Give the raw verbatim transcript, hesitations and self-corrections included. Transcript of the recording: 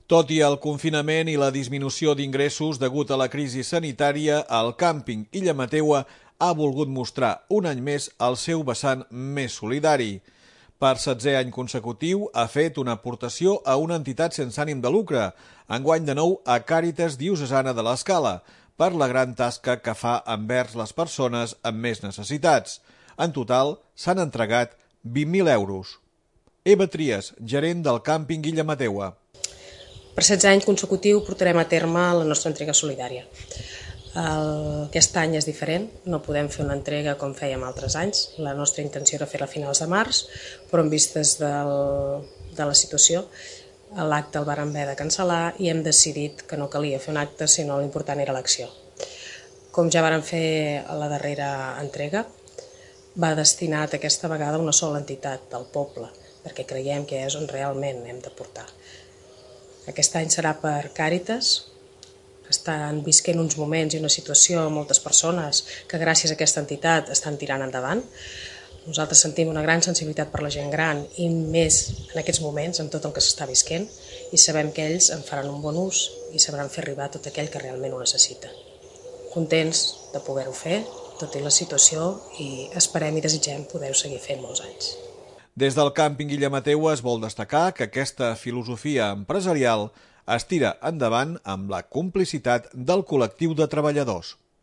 Tot i el confinament i la disminució d'ingressos degut a la crisi sanitària, el càmping Illa Mateua ha volgut mostrar un any més el seu vessant més solidari. Per setzè any consecutiu ha fet una aportació a una entitat sense ànim de lucre, enguany de nou a Càritas Diocesana de l'Escala, per la gran tasca que fa envers les persones amb més necessitats. En total s'han entregat vint mil euros. Eva Trias, gerent del càmping Illa Mateua. Per setze anys consecutiu portarem a terme la nostra entrega solidària. El, aquest any és diferent, no podem fer una entrega com fèiem altres anys. La nostra intenció era fer-la a finals de març, però en vistes del, de la situació, l'acte el vàrem haver de cancel·lar i hem decidit que no calia fer un acte, sinó l'important era l'acció. Com ja vàrem fer a la darrera entrega, va destinat aquesta vegada a una sola entitat del poble, perquè creiem que és on realment hem de portar. Aquest any serà per Càritas. Estan visquent uns moments i una situació amb moltes persones que gràcies a aquesta entitat estan tirant endavant. Nosaltres sentim una gran sensibilitat per la gent gran i més en aquests moments amb tot el que s'està visquent i sabem que ells en faran un bon ús i sabran fer arribar tot aquell que realment ho necessita. Contents de poder-ho fer, tot i la situació, i esperem i desitgem poder-ho seguir fent molts anys. Des del càmping Illa Mateua es vol destacar que aquesta filosofia empresarial es tira endavant amb la complicitat del col·lectiu de treballadors.